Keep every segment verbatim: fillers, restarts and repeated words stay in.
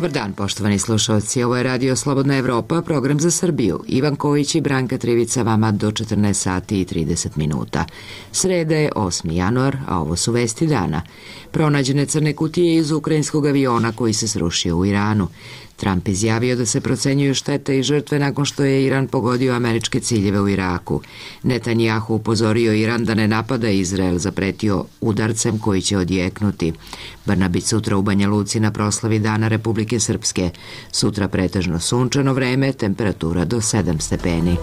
Dobar dan, poštovani slušalci. Ovo je Radio Slobodna Evropa, program za Srbiju. Ivan Kojić i Branka Trivica vama do četrnaest sati i trideset minuta. Sreda je osmi januar, a ovo su vesti dana. Pronađene crne kutije iz ukrajinskog aviona koji se srušio u Iranu. Trump izjavio da se procenjuju štete i žrtve nakon što je Iran pogodio američke ciljeve u Iraku. Netanjahu upozorio Iran da ne napada Izrael, zapretio udarcem koji će odjeknuti. Brnabić sutra u Banja Luci na proslavi Dana Republike Srpske. Sutra pretežno sunčano vreme, temperatura do sedam stepeni.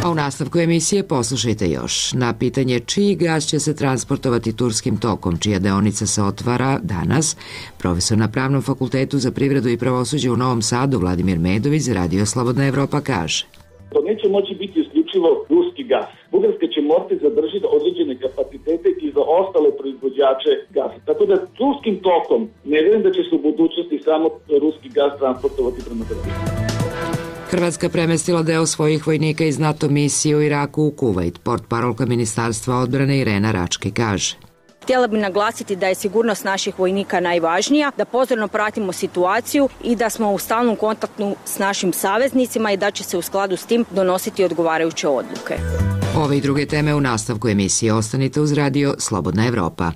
A u nastavku emisije poslušajte još. Na pitanje čiji gas će se transportovati turskim tokom, čija deonica se otvara danas, profesor na Pravnom fakultetu za privredu i pravosuđe u Novom Sadu Vladimir Medović za Radio Slobodna Evropa kaže. To neće moći biti isključivo ruski gas. Bugarska će morati zadržiti određene kapacitete i za ostale proizvođače gasa. Tako da turskim tokom ne vjerujem da će se u budućnosti samo ruski gas transportovati prema Srbiji. Hrvatska premestila deo svojih vojnika iz NATO misije u Iraku u Kuvajt. Portparolka Ministarstva odbrane Irena Rački kaže. Htjela bih naglasiti da je sigurnost naših vojnika najvažnija, da pozorno pratimo situaciju i da smo u stalnom kontaktu s našim saveznicima i da će se u skladu s tim donositi odgovarajuće odluke. Ove i druge teme u nastavku emisije. Ostanite uz Radio Slobodna Evropa.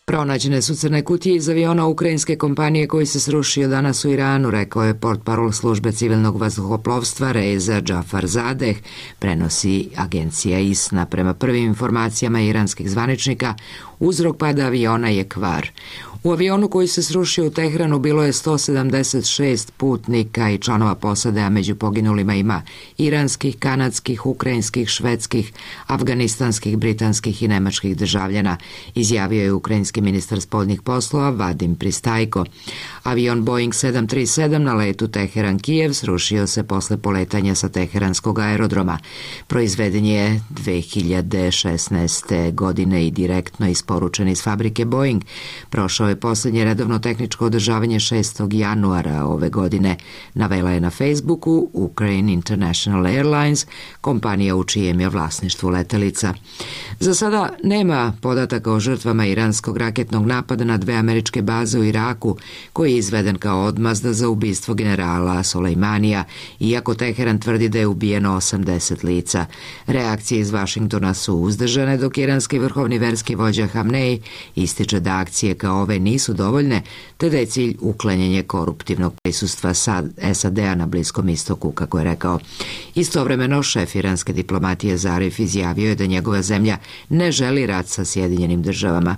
Pronađene su crne kutije iz aviona ukrajinske kompanije koji se srušio danas u Iranu, rekao je portparol službe civilnog vazduhoplovstva Reza Džafarzadeh, prenosi agencija I S N A. Prema prvim informacijama iranskih zvaničnika, uzrok pada aviona je kvar. U avionu koji se srušio u Tehranu bilo je sto sedamdeset šest putnika i članova posade, a među poginulima ima iranskih, kanadskih, ukrajinskih, švedskih, afganistanskih, britanskih i nemačkih državljana, izjavio je ukrajinski ministar spoljnih poslova Vadim Pristajko. Avion Boeing sedam tri sedam na letu Teheran-Kijev srušio se posle poletanja sa teheranskog aerodroma. Proizveden je dve hiljade šesnaeste. godine i direktno isporučen iz fabrike Boeing. Prošao je posljednje redovno tehničko održavanje šestog januara ove godine, navela je na Facebooku Ukraine International Airlines, kompanija u čijem je vlasništvu letelica. Za sada nema podataka o žrtvama iranskog raketnog napada na dve američke baze u Iraku, koji je izveden kao odmazda za ubistvo generala Solejmanija, iako Teheran tvrdi da je ubijeno osamdeset lica. Reakcije iz Vašingtona su uzdržane, dok iranski vrhovni verski vođa Hamnej ističe da akcije kao ove nisu dovoljne, te da je cilj uklanjanje koruptivnog prisustva S A D-a na Bliskom istoku, kako je rekao. Istovremeno, šef iranske diplomatije Zarif izjavio je da njegova zemlja ne želi rat sa Sjedinjenim državama.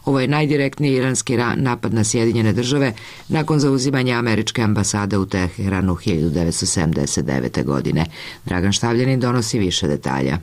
Ovo je najdirektniji iranski napad na Sjedinjene države nakon zauzimanja američke ambasade u Teheranu hiljadu devetsto sedamdeset devete. godine. Dragan Štavljanin donosi više detalja.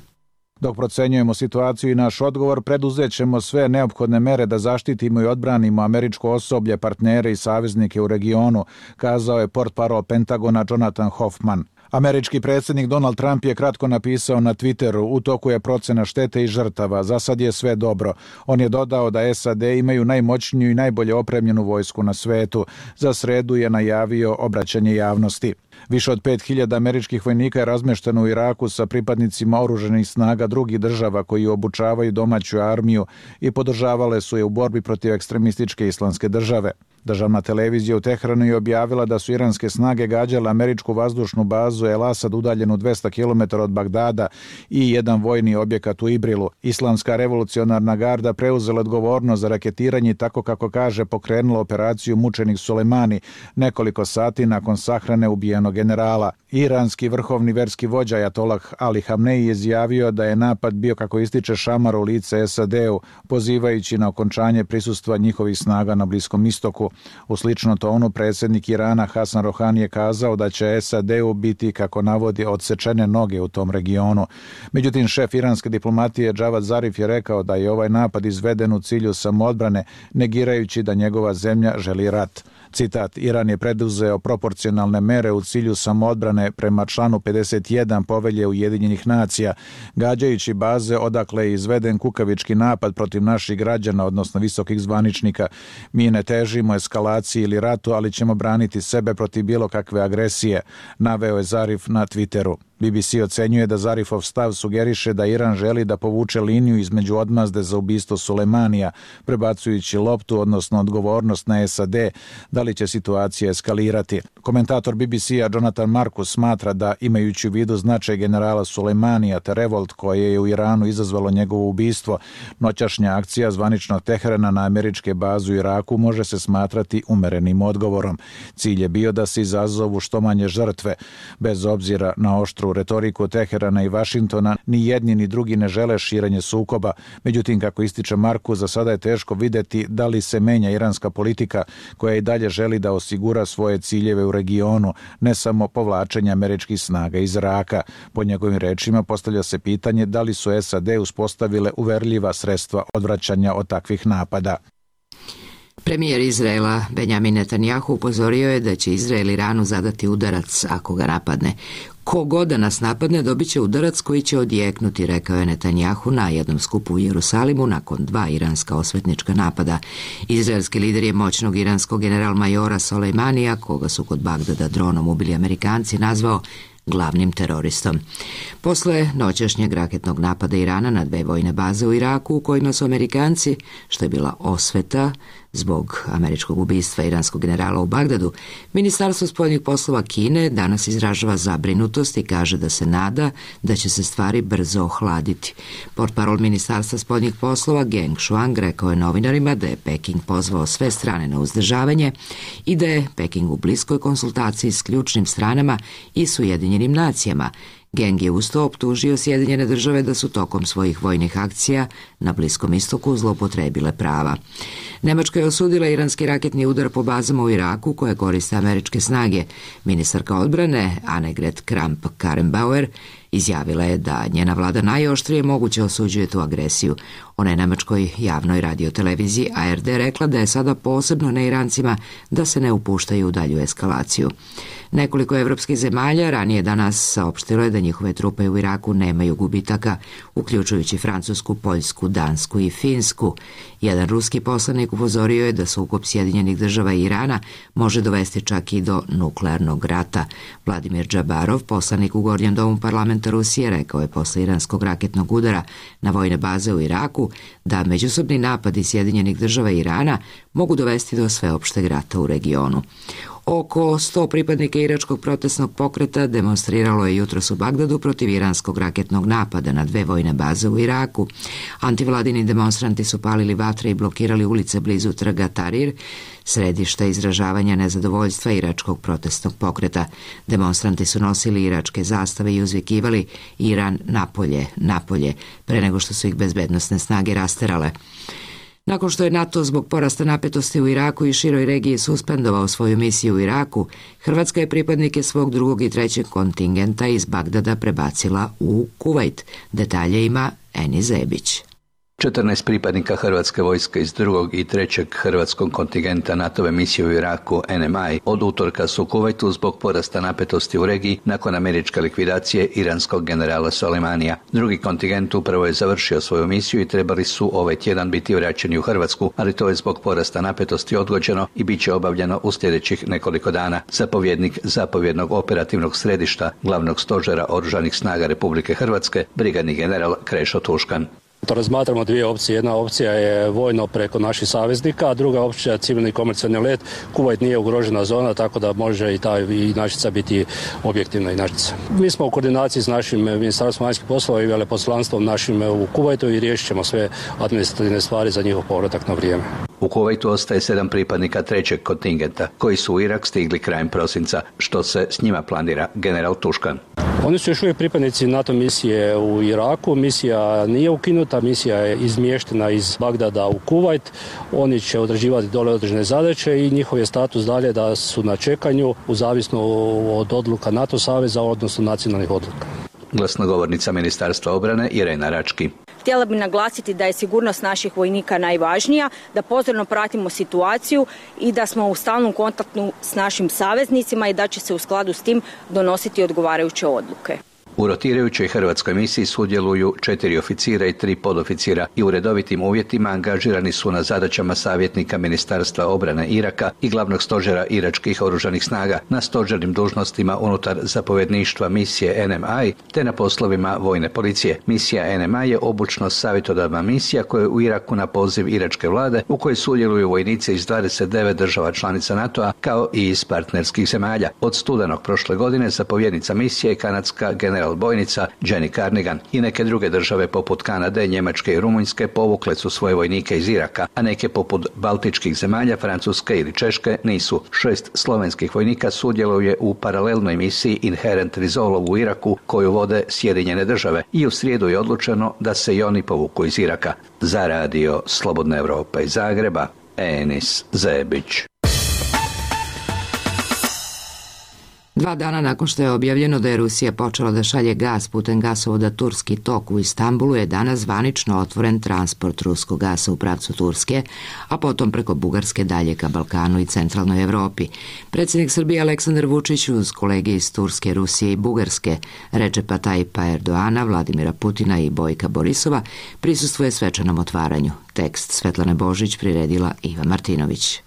Dok procenjujemo situaciju i naš odgovor, preduzet ćemo sve neophodne mere da zaštitimo i odbranimo američko osoblje, partnere i saveznike u regionu, kazao je portparol Pentagona Jonathan Hoffman. Američki predsjednik Donald Trump je kratko napisao na Twitteru: u toku je procena štete i žrtava, za sad je sve dobro. On je dodao da S A D imaju najmoćniju i najbolje opremljenu vojsku na svetu. Za sredu je najavio obraćanje javnosti. Više od pet hiljada američkih vojnika je razmešteno u Iraku sa pripadnicima oružanih snaga drugih država koji obučavaju domaću armiju i podržavale su je u borbi protiv ekstremističke islamske države. Državna televizija u Teheranu je objavila da su iranske snage gađale američku vazdušnu bazu El Asad udaljenu dvesta kilometara od Bagdada i jedan vojni objekat u Ibrilu. Islamska revolucionarna garda preuzela odgovornost za raketiranje i, tako kako kaže, pokrenula operaciju Mučenik Sulejmani nekoliko sati nakon sahrane ubijenog generala. Iranski vrhovni verski vođa Ajatolah Ali Hamnej je izjavio da je napad bio, kako ističe, šamar u lice S A D-u, pozivajući na okončanje prisustva njihovih snaga na Bliskom istoku. U slično tonu predsjednik Irana Hasan Rohani je kazao da će S A D-u biti, kako navodi, odsečene noge u tom regionu. Međutim, šef iranske diplomatije Javad Zarif je rekao da je ovaj napad izveden u cilju samoodbrane, negirajući da njegova zemlja želi rat. Citat: Iran je preduzeo proporcionalne mere u cilju samoodbrane prema članu pedeset jedan Povelje Ujedinjenih nacija, gađajući baze odakle je izveden kukavički napad protiv naših građana, odnosno visokih zvaničnika. Mi ne težimo eskalaciji ili ratu, ali ćemo braniti sebe protiv bilo kakve agresije, naveo je Zarif na Twitteru. B B C ocenjuje da Zarifov stav sugeriše da Iran želi da povuče liniju između odmazde za ubistvo Sulejmanija, prebacujući loptu, odnosno odgovornost na S A D, da li će situacija eskalirati. Komentator B B C-a Jonathan Marcus smatra da, imajući u vidu značaj generala Sulejmanija te revolt koje je u Iranu izazvalo njegovo ubistvo, noćašnja akcija zvaničnog Teherana na američke baze u Iraku može se smatrati umerenim odgovorom. Cilj je bio da se izazovu što manje žrtve. Bez obzira na oštru retoriku Teherana i Vašingtona, ni jedni ni drugi ne žele širenje sukoba. Međutim, kako ističe Marku, za sada je teško videti da li se menja iranska politika koja i dalje želi da osigura svoje ciljeve u regionu, ne samo povlačenje američkih snaga iz Iraka. Po njegovim rečima postavlja se pitanje da li su S A D uspostavile uverljiva sredstva odvraćanja od takvih napada. Premijer Izraela Benjamin Netanjahu upozorio je da će Izrael Iranu zadati udarac ako ga napadne. Ko god da nas napadne dobit će udarac koji će odjeknuti, rekao je Netanjahu na jednom skupu u Jerusalimu nakon dva iranska osvetnička napada. Izraelski lider je moćnog iranskog general-majora Sulejmanija, koga su kod Bagdada dronom ubili Amerikanci, nazvao glavnim teroristom. Posle noćašnjeg raketnog napada Irana na dve vojne baze u Iraku, u kojima su Amerikanci, što je bila osveta zbog američkog ubistva iranskog generala u Bagdadu, Ministarstvo spoljnih poslova Kine danas izražava zabrinutost i kaže da se nada da će se stvari brzo ohladiti. Portparol Ministarstva spoljnih poslova Geng Shuang rekao je novinarima da je Peking pozvao sve strane na uzdržavanje i da je Peking u bliskoj konsultaciji s ključnim stranama i s Ujedinjenim nacijama. Geng je uz to optužio Sjedinjene države da su tokom svojih vojnih akcija na Bliskom istoku zloupotrebile prava. Nemačka je osudila iranski raketni udar po bazama u Iraku koje koriste američke snage. Ministarka odbrane Annegret Kramp-Karrenbauer izjavila je da njena vlada najoštrije moguće osuđuje tu agresiju. Ona je nemačkoj javnoj radioteleviziji A R D rekla da je sada posebno na Irancima da se ne upuštaju u dalju eskalaciju. Nekoliko evropskih zemalja ranije danas saopštilo je da njihove trupe u Iraku nemaju gubitaka, uključujući Francusku, Poljsku, Dansku i Finsku. Jedan ruski poslanik upozorio je da sukob Sjedinjenih država i Irana može dovesti čak i do nuklearnog rata. Vladimir Džabarov, poslanik u Gornjem domu parlamenta Rusije, rekao je posle iranskog raketnog udara na vojne baze u Iraku da međusobni napadi Sjedinjenih država i Irana mogu dovesti do sveopšteg rata u regionu. Oko sto pripadnika iračkog protestnog pokreta demonstriralo je jutros u Bagdadu protiv iranskog raketnog napada na dve vojne baze u Iraku. Antivladini demonstranti su palili vatre i blokirali ulice blizu trga Tahrir, središta izražavanja nezadovoljstva iračkog protestnog pokreta. Demonstranti su nosili iračke zastave i uzvikivali Iran napolje, napolje, pre nego što su ih bezbednosne snage rasterale. Nakon što je NATO zbog porasta napetosti u Iraku i široj regiji suspendovao svoju misiju u Iraku, Hrvatska je pripadnike svog drugog i trećeg kontingenta iz Bagdada prebacila u Kuvajt. Detalje ima Eni Zebić. četrnaest pripadnika Hrvatske vojske iz drugog i trećeg hrvatskog kontingenta NATO-ve misije u Iraku N M I od utorka su u Kuvajtu zbog porasta napetosti u regiji nakon američke likvidacije iranskog generala Sulejmanija. Drugi kontingent upravo je završio svoju misiju i trebali su ovaj tjedan biti vraćeni u Hrvatsku, ali to je zbog porasta napetosti odgođeno i bit će obavljeno u sljedećih nekoliko dana. Zapovjednik zapovjednog operativnog središta glavnog stožera Oružanih snaga Republike Hrvatske, brigadni general Krešo Tuškan. To razmatramo dvije opcije. Jedna opcija je vojno preko naših saveznika, a druga opcija je civilni komercijalni let. Kuvajt nije ugrožena zona, tako da može i ta inačica biti objektivna inačica. Mi smo u koordinaciji s našim Ministarstvom vanjskih poslova i veleposlanstvom našim u Kuvajtu i riješit ćemo sve administrativne stvari za njihov povratak na vrijeme. U Kuvajtu ostaje sedam pripadnika trećeg kontingenta, koji su u Irak stigli krajem prosinca. Što se s njima planira, general Tuškan? Oni su još uvijek pripadnici NATO misije u Iraku. Misija nije ukinuta, misija je izmještena iz Bagdada u Kuvajt. Oni će odrađivati dole određene zadaće i njihov je status dalje da su na čekanju u zavisno od odluka NATO saveza, odnosno nacionalnih odluka. Glasnogovornica Ministarstva obrane Irena Rački. Htjela bih naglasiti da je sigurnost naših vojnika najvažnija, da pozorno pratimo situaciju i da smo u stalnom kontaktu s našim saveznicima i da će se u skladu s tim donositi odgovarajuće odluke. U rotirajućoj hrvatskoj misiji sudjeluju četiri oficira i tri podoficira i u redovitim uvjetima angažirani su na zadaćama savjetnika Ministarstva obrane Iraka i glavnog stožera iračkih oružanih snaga, na stožernim dužnostima unutar zapovjedništva misije N M I te na poslovima vojne policije. Misija N M I je obučno savjetodavna misija koja je u Iraku na poziv iračke vlade, u kojoj sudjeluju vojnici iz dvadeset devet država članica NATO-a kao i iz partnerskih zemalja. Od studenog prošle godine zapovjednica misije je kanadska general bojnica Jenny Carnigan i neke druge države poput Kanade, Njemačke i Rumunjske povukle su svoje vojnike iz Iraka, a neke poput baltičkih zemalja, Francuske ili Češke nisu. Šest slovenskih vojnika sudjeluje u paralelnoj misiji Inherent Resolve u Iraku koju vode Sjedinjene države i u srijedu je odlučeno da se i oni povuku iz Iraka. Za radio Slobodna Europa iz Zagreba, Enis Zebić. Dva dana nakon što je objavljeno da je Rusija počela da šalje gas putem gasovoda Turski tok u Istanbulu, je danas zvanično otvoren transport ruskog gasa u pravcu Turske, a potom preko Bugarske dalje ka Balkanu i centralnoj Evropi. Predsjednik Srbije Aleksandar Vučić uz kolege iz Turske, Rusije i Bugarske, Recepa Tayyipa Erdoana, Vladimira Putina i Bojka Borisova, prisustvuje svečanom otvaranju. Tekst Svetlane Božić priredila Iva Martinović.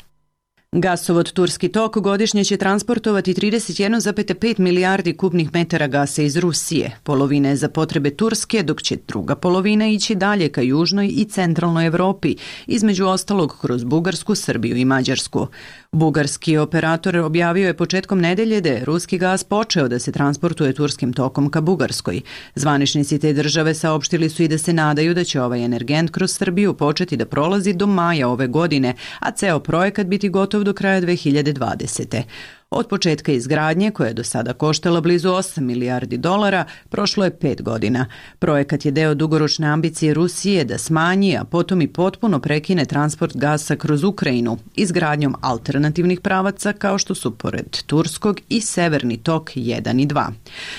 Gasovod Turski tok godišnje će transportovati trideset jedan zarez pet milijardi kubnih metara gasa iz Rusije. Polovina je za potrebe Turske, dok će druga polovina ići dalje ka južnoj i centralnoj Evropi, između ostalog kroz Bugarsku, Srbiju i Mađarsku. Bugarski operator objavio je početkom nedelje da je ruski gas počeo da se transportuje turskim tokom ka Bugarskoj. Zvaničnici te države saopštili su i da se nadaju da će ovaj energent kroz Srbiju početi da prolazi do maja ove godine, a ceo projekat biti gotov do kraja dve hiljade dvadesete. Od početka izgradnje, koja je do sada koštala blizu osam milijardi dolara, prošlo je pet godina. Projekat je deo dugoročne ambicije Rusije da smanji, a potom i potpuno prekine transport gasa kroz Ukrajinu, izgradnjom alternativnih pravaca kao što su pored Turskog i Severni tok jedan i dva.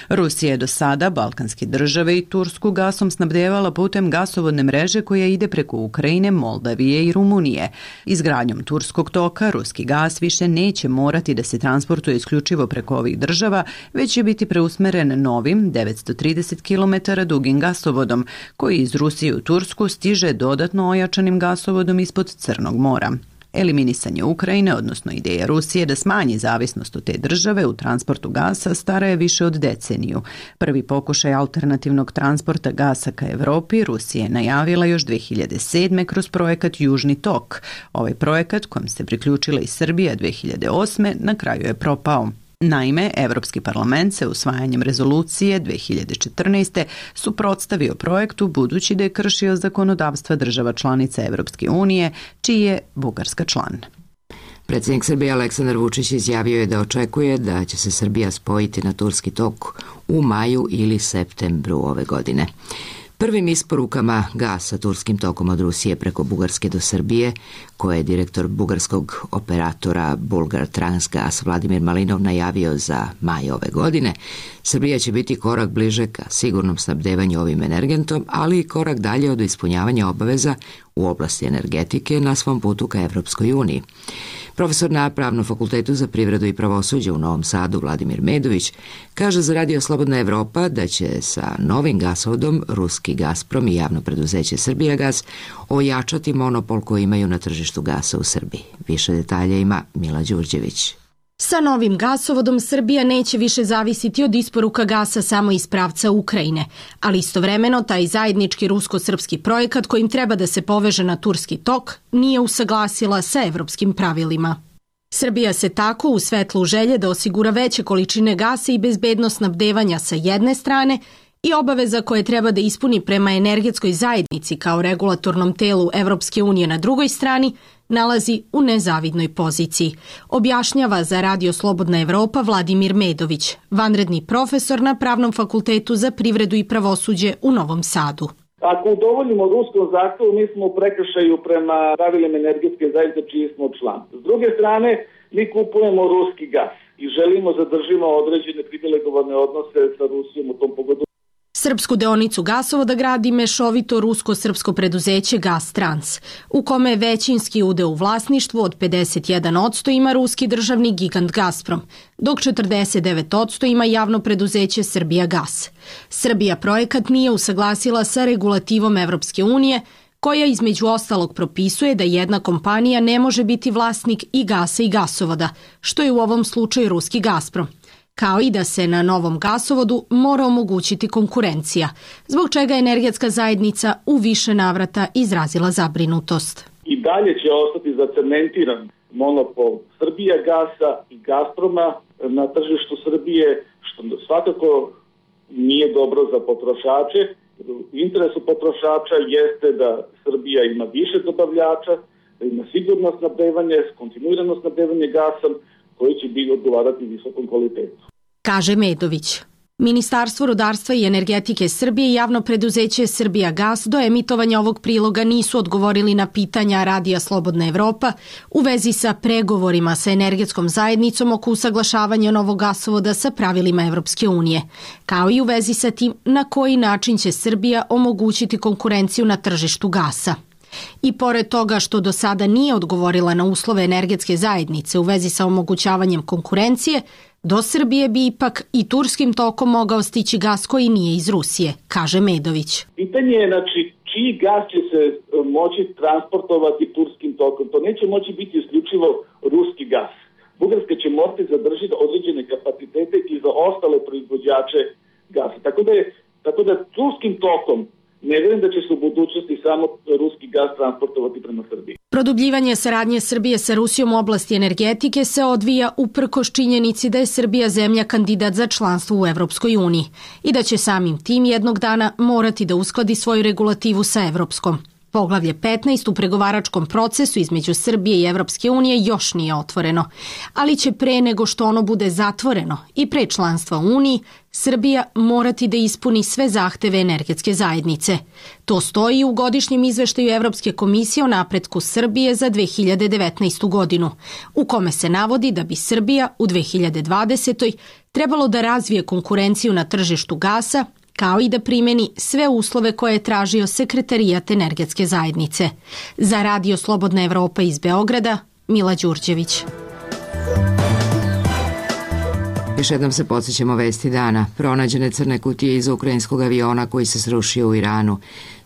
Rusija je do sada balkanske države i Tursku gasom snabdevala putem gasovodne mreže koja ide preko Ukrajine, Moldavije i Rumunije. Izgradnjom Turskog toka ruski gas više neće morati da se transportuje transportuje isključivo preko ovih država, već će biti preusmeren novim devetsto trideset kilometara dugim gasovodom, koji iz Rusije u Tursku stiže dodatno ojačanim gasovodom ispod Crnog mora. Eliminisanje Ukrajine, odnosno ideja Rusije da smanji zavisnost od te države u transportu gasa, stara je više od deceniju. Prvi pokušaj alternativnog transporta gasa ka Evropi Rusija je najavila još dve hiljade sedme kroz projekat Južni tok. Ovaj projekat, kojem se priključila i Srbija dve hiljade osme, na kraju je propao. Naime, Evropski parlament se usvajanjem rezolucije dve hiljade četrnaeste suprotstavio projektu budući da je kršio zakonodavstva država članica Evropske unije, čiji je Bugarska član. Predsjednik Srbije Aleksandar Vučić izjavio je da očekuje da će se Srbija spojiti na Turski tok u maju ili septembru ove godine. Prvim isporukama gasa turskim tokom od Rusije preko Bugarske do Srbije, koje je direktor bugarskog operatora Bulgar Transgas Vladimir Malinov najavio za maj ove godine, Srbija će biti korak bliže ka sigurnom snabdevanju ovim energentom, ali i korak dalje od ispunjavanja obaveza u oblasti energetike na svom putu ka Evropskoj uniji. Profesor na Pravnom fakultetu za privredu i pravosuđe u Novom Sadu Vladimir Medović kaže za Radio Slobodna Evropa da će sa novim gasovodom ruski Gazprom i javno preduzeće Srbijagas ojačati monopol koji imaju na tržištu gasa u Srbiji. Više detalja ima Mila Đurđević. Sa novim gasovodom Srbija neće više zavisiti od isporuka gasa samo iz pravca Ukrajine, ali istovremeno taj zajednički rusko-srpski projekat kojim treba da se poveže na Turski tok nije usaglasila sa evropskim pravilima. Srbija se tako u svetlu želje da osigura veće količine gasa i bezbednost snabdevanja sa jedne strane i obaveza koje treba da ispuni prema energetskoj zajednici kao regulatornom telu Evropske unije na drugoj strani, nalazi u nezavidnoj poziciji, objašnjava za Radio Slobodna Evropa Vladimir Medović, vanredni profesor na Pravnom fakultetu za privredu i pravosuđe u Novom Sadu. Ako udovoljimo ruskom zahtevu, mi smo u prekršaju prema pravilima energetske zajednice čiji smo član. S druge strane, mi kupujemo ruski gas i želimo zadržimo određene privilegovane odnose sa Rusijom u tom pogledu. Srpsku deonicu gasovoda gradi mešovito rusko-srpsko preduzeće Gastrans, u kome većinski udeo u vlasništvu od pedeset jedan posto ima ruski državni gigant Gazprom, dok četrdeset devet posto ima javno preduzeće Srbijagas. Srbija projekat nije usaglasila sa regulativom Evropske unije, koja između ostalog propisuje da jedna kompanija ne može biti vlasnik i gasa i gasovoda, što je u ovom slučaju ruski Gazprom, kao i da se na novom gasovodu mora omogućiti konkurencija, zbog čega je energetska zajednica u više navrata izrazila zabrinutost. I dalje će ostati zacementiran monopol Srbijagasa i Gazproma na tržištu Srbije, što svakako nije dobro za potrošače. U interesu potrošača jeste da Srbija ima više dobavljača, da ima sigurno snabdevanje, kontinuirano snabdevanje gasom, koji će biti odgovarati visokom kvalitetu. Kaže Medović. Ministarstvo rudarstva i energetike Srbije i javno preduzeće Srbijagas do emitovanja ovog priloga nisu odgovorili na pitanja Radija Slobodna Evropa u vezi sa pregovorima sa energetskom zajednicom oko usaglašavanja novog gasovoda sa pravilima Evropske unije, kao i u vezi sa tim na koji način će Srbija omogućiti konkurenciju na tržištu gasa. I pored toga što do sada nije odgovorila na uslove energetske zajednice u vezi sa omogućavanjem konkurencije, do Srbije bi ipak i turskim tokom mogao stići gas koji nije iz Rusije, kaže Medović. Pitanje je, znači, čiji gas će se moći transportovati turskim tokom. To neće moći biti isključivo ruski gas. Bugarska će morati zadržiti određene kapacitete i za ostale proizvođače gasa. Tako da, je, tako da turskim tokom ne vjerujem da će se u budućnosti samo ruski gas transportovati prema Srbiji. Produbljivanje saradnje Srbije sa Rusijom u oblasti energetike se odvija uprkos činjenici da je Srbija zemlja kandidat za članstvo u Evropskoj uniji i da će samim tim jednog dana morati da uskladi svoju regulativu sa evropskom. Poglavlje petnaest u pregovaračkom procesu između Srbije i Evropske unije još nije otvoreno, ali će pre nego što ono bude zatvoreno i pre članstva u Uniji, Srbija morati da ispuni sve zahteve energetske zajednice. To stoji u godišnjem izveštaju Evropske komisije o napretku Srbije za dve hiljade devetnaestu. godinu, u kome se navodi da bi Srbija u dve hiljade dvadesetoj. trebalo da razvije konkurenciju na tržištu gasa, kao i da primeni sve uslove koje je tražio Sekretarijat energetske zajednice. Za Radio Slobodna Evropa iz Beograda, Mila Đurđević. Još jednom se podsjećamo vesti dana. Pronađene crne kutije iza ukrajinskog aviona koji se srušio u Iranu.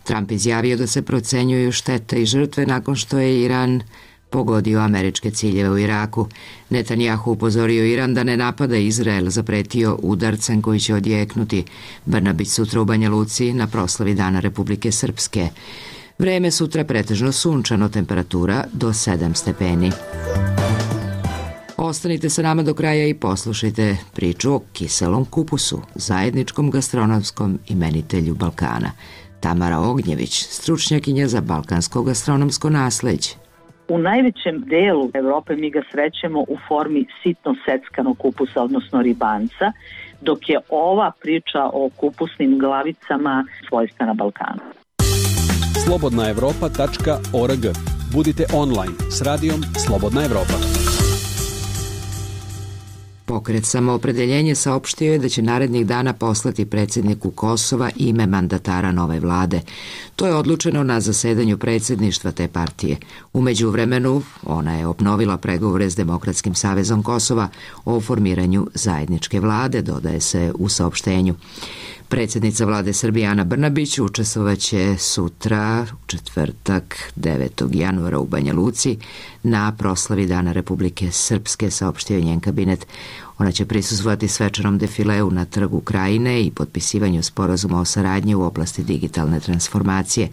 Trump izjavio da se procenjuju štete i žrtve nakon što je Iran pogodio američke ciljeve u Iraku. Netanjahu upozorio Iran da ne napada Izrael, zapretio udarcem koji će odjeknuti. Brnabić sutra u Banja Luci na proslavi Dana Republike Srpske. Vreme sutra pretežno sunčano, temperatura do sedam stepeni. Ostanite sa nama do kraja i poslušajte priču o kiselom kupusu, zajedničkom gastronomskom imenitelju Balkana. Tamara Ognjević, stručnjakinja za balkansko gastronomsko nasleđe. U najvećem delu Evrope mi ga srećemo u formi sitno seckanog kupusa, odnosno ribanca, dok je ova priča o kupusnim glavicama svojstvena Balkanu. slobodna evropa tačka org. Budite online s radijom Slobodna Evropa. Pokret Samoopredeljenje saopštio je da će narednih dana poslati predsjedniku Kosova ime mandatara nove vlade. To je odlučeno na zasedanju predsjedništva te partije. U međuvremenu ona je obnovila pregovore s Demokratskim savezom Kosova o formiranju zajedničke vlade, dodaje se u saopštenju. Predsjednica vlade Srbije Ana Brnabić učestvovaće sutra, u četvrtak devetog januara u Banja Luci, na proslavi Dana Republike Srpske, saopštio je njen kabinet. Ona će prisustvovati svečanom defileu na Trgu Krajine i potpisivanju sporazuma o saradnji u oblasti digitalne transformacije,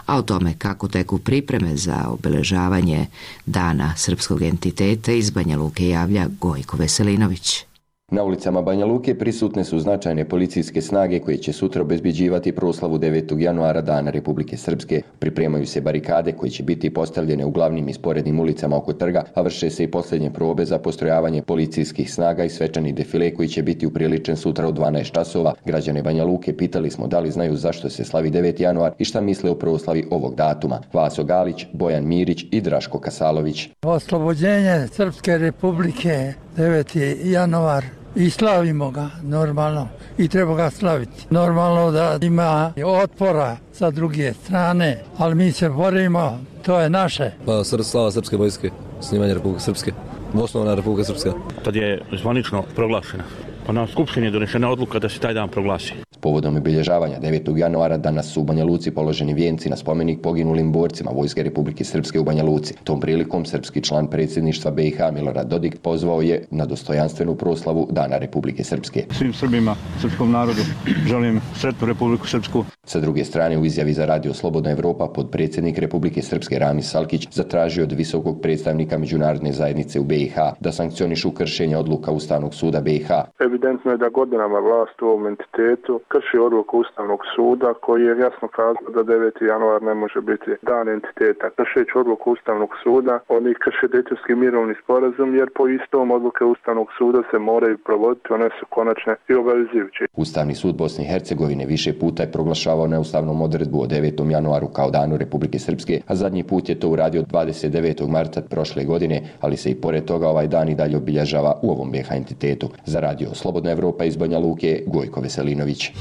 a o tome kako teku pripreme za obeležavanje Dana srpskog entiteta iz Banja Luke javlja Gojko Veselinović. Na ulicama Banja Luke prisutne su značajne policijske snage koje će sutra obezbeđivati proslavu devetog januara Dana Republike Srpske. Pripremaju se barikade koje će biti postavljene u glavnim i sporednim ulicama oko trga, a vrše se i posljednje probe za postrojavanje policijskih snaga i svečani defile koji će biti upriličen sutra u dvanaest časova. Građane Banja Luke pitali smo da li znaju zašto se slavi deveti januar i šta misle o proslavi ovog datuma. Vaso Galić, Bojan Mirić i Draško Kasalović. Oslobođenje Srpske Republike deveti januar i slavimo ga normalno i treba ga slaviti. Normalno da ima otpora sa druge strane, ali mi se borimo, to je naše. Pa slava Srpske vojske, snimanje Republike Srpske, osnovna Republika Srpska. Tad je zvanično proglašena. Pa na Skupštini je donešena odluka da se taj dan proglasi. Povodom obilježavanja devetog januara danas su u Banja Luci položeni vijenci na spomenik poginulim borcima Vojske Republike Srpske u Banja Luci. Tom prilikom srpski član predsjedništva B i H Milorad Dodik pozvao je na dostojanstvenu proslavu Dana Republike Srpske. Svim Srbima, srpskom narodu želim sretnu Republiku Srpsku. Sa druge strane, u izjavi za Radio Slobodna Evropa podpredsjednik Republike Srpske Ramis Salkić zatražio od visokog predstavnika međunarodne zajednice u B i H da sankcionišu kršenje odluka Ustavnog suda B i H. Evidentno je da godinama vlast u ovom entitetu krši odluku Ustavnog suda koji je jasno kazao da deveti januar ne može biti dan entiteta. Kršeći odluku Ustavnog suda, oni krše Dejtonski mirovni sporazum jer po istom odluke Ustavnog suda se moraju provoditi, one su konačne i obavezujuće. Ustavni sud Bosne i Hercegovine više puta je proglašavao neustavnom odredbu o devetom januaru kao danu Republike Srpske, a zadnji put je to uradio dvadeset devetog marta prošle godine, ali se i pored toga ovaj dan i dalje obilježava u ovom B iH entitetu. Za Radio Slobodna Evropa iz Banja Luke, Gojko Veselinović.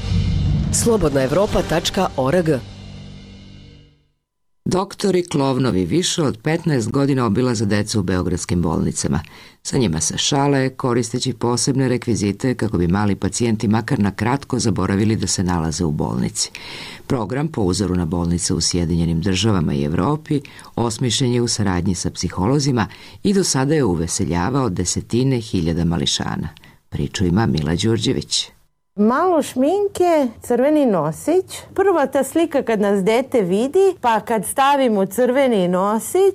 slobodna evropa tačka org. Doktori Klovnovi više od petnaest godina obilaze decu u beogradskim bolnicama. Sa njima se šale, koristeći posebne rekvizite kako bi mali pacijenti makar na kratko zaboravili da se nalaze u bolnici. Program, po uzoru na bolnice u Sjedinjenim državama i Evropi, osmišljen je u saradnji sa psiholozima i do sada je uveseljavao desetine hiljada mališana. Priču ima Mila Đurđević. Malo šminke, crveni nosić. Prva ta slika kad nas dete vidi, pa kad stavimo crveni nosić,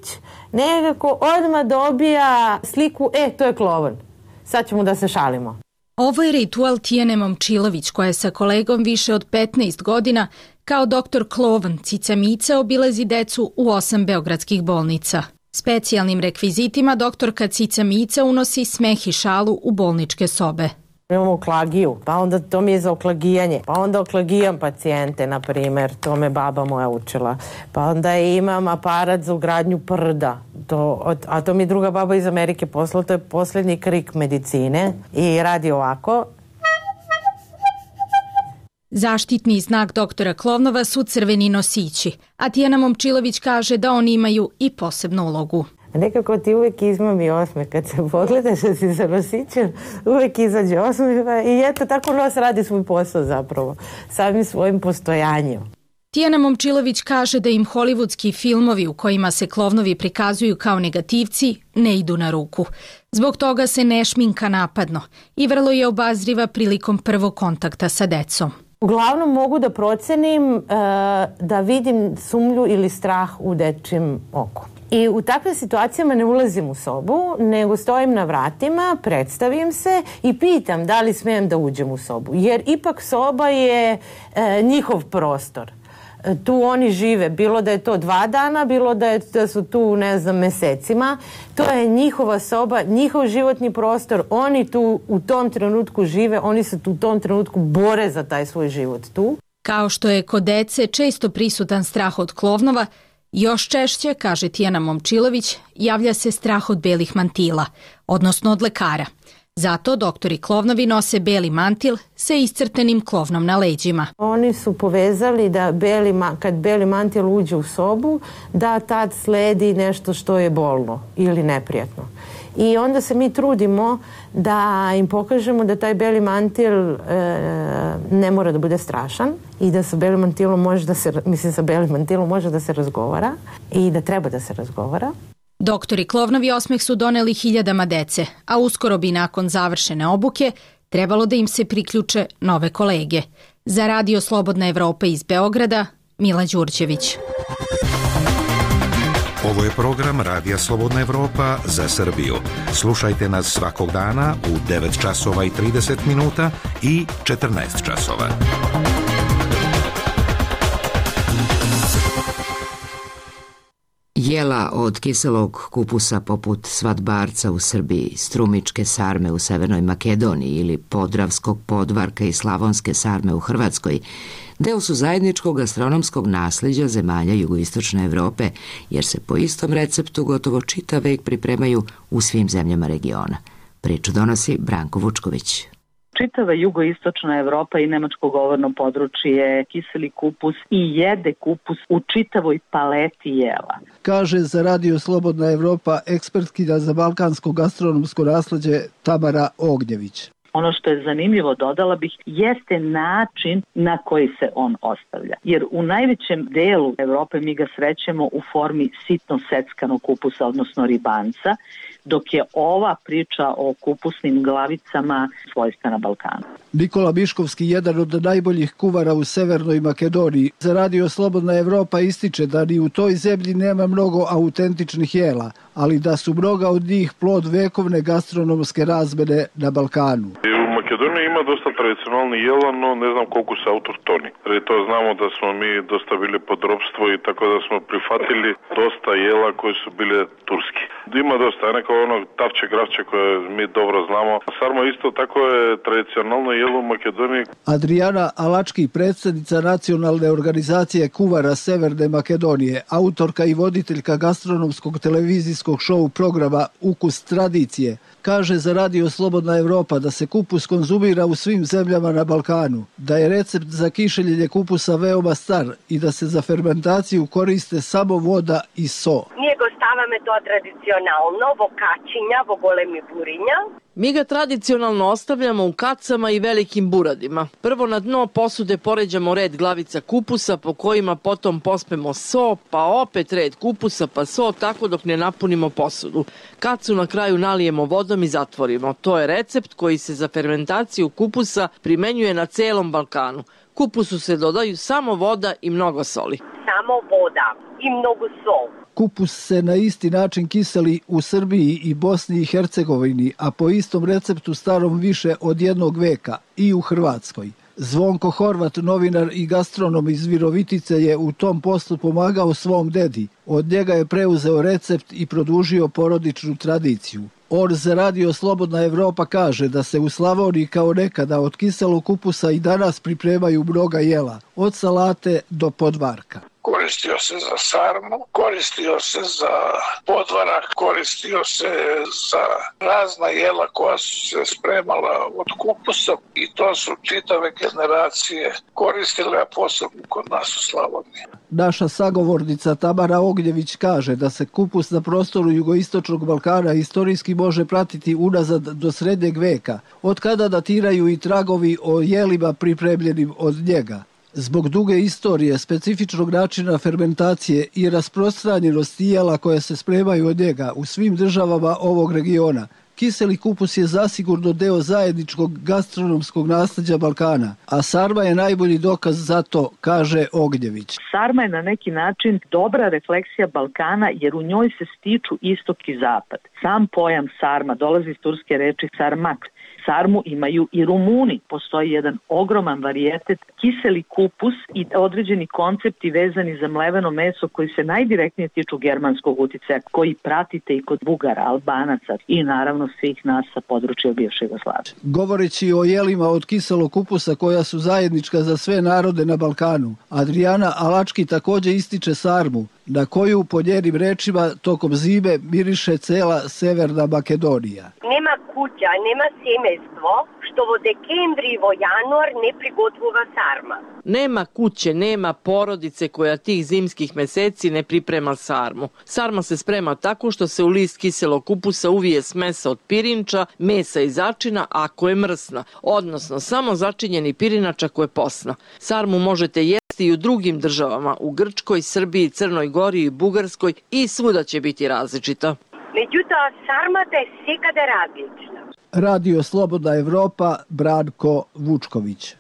nekako odmah dobija sliku, e, to je Klovan. Sad ćemo da se šalimo. Ovo je ritual Tijane Momčilović, koja je sa kolegom više od petnaest godina kao doktor Klovan Cica Mica obilazi decu u osam beogradskih bolnica. Specijalnim rekvizitima doktorka Cica Mica unosi smeh i šalu u bolničke sobe. Imamo oklagiju, pa onda to mi je za oklagijanje, pa onda oklagijam pacijente, na primjer, to me baba moja učila. Pa onda imam aparat za ugradnju prda, to, a to mi je druga baba iz Amerike poslala, to je posljednji krik medicine i radi ovako. Zaštitni znak doktora Klovnova su crveni nosići, a Tijana Momčilović kaže da oni imaju i posebnu ulogu. Nekako ti uvijek izmami osmeh, kad se pogledaš da si sa nosićem, uvijek izađe osmeh i eto, tako nos radi svoj posao zapravo, samim svojim postojanjem. Tijana Momčilović kaže da im hollywoodski filmovi u kojima se Klovnovi prikazuju kao negativci ne idu na ruku. Zbog toga se ne šminka napadno i vrlo je obazriva prilikom prvog kontakta sa decom. Uglavnom mogu da procenim uh, da vidim sumnju ili strah u dečjem oku. I u takvim situacijama ne ulazim u sobu, nego stojim na vratima, predstavim se i pitam da li smijem da uđem u sobu. Jer ipak soba je e, njihov prostor. E, tu oni žive, bilo da je to dva dana, bilo da, je, da su tu, ne znam, mesecima. To je njihova soba, njihov životni prostor. Oni tu u tom trenutku žive, oni se tu u tom trenutku bore za taj svoj život tu. Kao što je kod dece često prisutan strah od Klovnova, još češće, kaže Tijana Momčilović, javlja se strah od belih mantila, odnosno od lekara. Zato doktori Klovnovi nose beli mantil sa iscrtenim klovnom na leđima. Oni su povezali da beli, kad beli mantil uđe u sobu, da tad sledi nešto što je bolno ili neprijatno. I onda se mi trudimo da im pokažemo da taj beli mantil e, ne mora da bude strašan i da sa belim mantilom može da se, mislim sa belim mantilom može da se razgovara i da treba da se razgovara. Doktori Klovnovi osmeh su doneli hiljadama dece, a uskoro bi nakon završene obuke trebalo da im se priključe nove kolege. Za Radio Slobodna Evropa iz Beograda, Mila Đurđević. Ovo je program Radija Slobodna Evropa za Srbiju. Slušajte nas svakog dana u devet časova i trideset minuta i četrnaest časova. Jela od kiselog kupusa poput svatbarca u Srbiji, strumičke sarme u Severnoj Makedoniji ili podravskog podvarka i slavonske sarme u Hrvatskoj deo su zajedničkog gastronomskog nasljeđa zemalja jugoistočne Evrope, jer se po istom receptu gotovo čitav vek pripremaju u svim zemljama regiona. Priču donosi Branko Vučković. Čitava jugoistočna Evropa i nemačko govorno područje kiseli kupus i jede kupus u čitavoj paleti jela. Kaže za Radio Slobodna Evropa ekspertkinja za balkansko gastronomsko nasleđe Tamara Ognjević. Ono što je zanimljivo, dodala bih, jeste način na koji se on ostavlja. Jer u najvećem delu Evrope mi ga srećemo u formi sitno seckanog kupusa, odnosno ribanca, dok je ova priča o kupusnim glavicama svojstva na Balkanu. Nikola Miškovski, jedan od najboljih kuvara u Severnoj Makedoniji, za Radio Slobodna Evropa ističe da ni u toj zemlji nema mnogo autentičnih jela, ali da su mnoga od njih plod vekovne gastronomske razmene na Balkanu. U Makedoniji ima dosta tradicionalnih jela, no ne znam koliko su autohtoni. Jer to znamo da smo mi dosta bili pod ropstvo i tako da smo prihvatili dosta jela koji su bile turski. Ima dosta, neko ono tavče, gravče koje mi dobro znamo. Sarma isto tako je tradicionalno jelo u Makedoniji. Adriana Alački, predsjednica nacionalne organizacije kuvara Severne Makedonije, autorka i voditeljka gastronomskog televizijskog šou programa Ukus tradicije, kaže za Radio Slobodna Evropa da se kupus konzumira u svim zemljama na Balkanu, da je recept za kišeljenje kupusa veoma star i da se za fermentaciju koriste samo voda i so. Ние го ставаме тоа традиционално во качиња, во големи буриња. Mi ga tradicionalno ostavljamo u kacama i velikim buradima. Prvo na dno posude poređamo red glavica kupusa po kojima potom pospemo so, pa opet red kupusa pa so, tako dok ne napunimo posudu. Kacu na kraju nalijemo vodom i zatvorimo. To je recept koji se za fermentaciju kupusa primenjuje na celom Balkanu. Kupusu se dodaju samo voda i mnogo soli. Samo voda i mnogo sol. Kupus se na isti način kiseli u Srbiji i Bosni i Hercegovini, a po istom receptu starom više od jednog veka i u Hrvatskoj. Zvonko Horvat, novinar i gastronom iz Virovitice, je u tom poslu pomagao svom dedi. Od njega je preuzeo recept i produžio porodičnu tradiciju. On za Radio Slobodna Evropa kaže da se u Slavoniji kao nekada od kiselog kupusa i danas pripremaju mnoga jela, od salate do podvarka. Koristio se za sarmu, koristio se za podvarak, koristio se za razna jela koja su se spremala od kupusa i to su čitave generacije koristile, a posebno kod nas u Slavoniji. Naša sagovornica Tamara Ognjević kaže da se kupus na prostoru jugoistočnog Balkana istorijski može pratiti unazad do srednjeg veka, od kada datiraju i tragovi o jelima pripremljenim od njega. Zbog duge istorije, specifičnog načina fermentacije i rasprostranjenosti jela koje se spremaju od njega u svim državama ovog regiona, kiseli kupus je zasigurno deo zajedničkog gastronomskog nasleđa Balkana, a sarma je najbolji dokaz za to, kaže Ognjević. Sarma je na neki način dobra refleksija Balkana jer u njoj se stiču istok i zapad. Sam pojam sarma dolazi iz turske reči sarmak. Sarmu imaju i Rumuni. Postoji jedan ogroman varijetet kiseli kupus i određeni koncepti vezani za mleveno meso koji se najdirektnije tiču germanskog uticaja, koji pratite i kod Bugara, Albanaca i naravno svih nas sa područja bivše Jugoslavije. Govoreći o jelima od kiselog kupusa koja su zajednička za sve narode na Balkanu, Adriana Alački također ističe sarmu, na koju po njenim rečima tokom zime miriše cela Severna Makedonija. Nema kuća, nema semejstvo, što vo dekembri i vo januar ne prigotvува sarma. Nema kuće, nema porodice koja tih zimskih meseci ne priprema sarmu. Sarma se sprema tako što se u list kiselog kupusa uvije smesa od pirinča, mesa i začina ako je mrsna, odnosno samo začinjeni pirinač ako je posna. Sarmu možete jesti i u drugim državama, u Grčkoj, Srbiji, Crnoj Gori i Bugarskoj i svuda će biti različita. Međutim, sarmata je sekada različna. Radio Slobodna Evropa, Branko Vučković.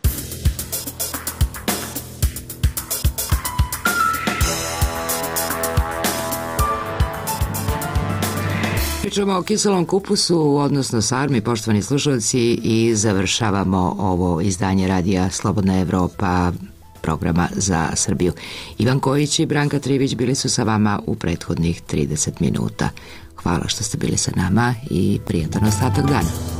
Pričamo o kiselom kupusu, odnosno sarmi, poštovani slušalci, i završavamo ovo izdanje Radija Slobodna Evropa, programa za Srbiju. Ivan Kojić i Branka Trivić bili su sa vama u prethodnih trideset minuta. Hvala što ste bili sa nama i prijatan ostatak dana.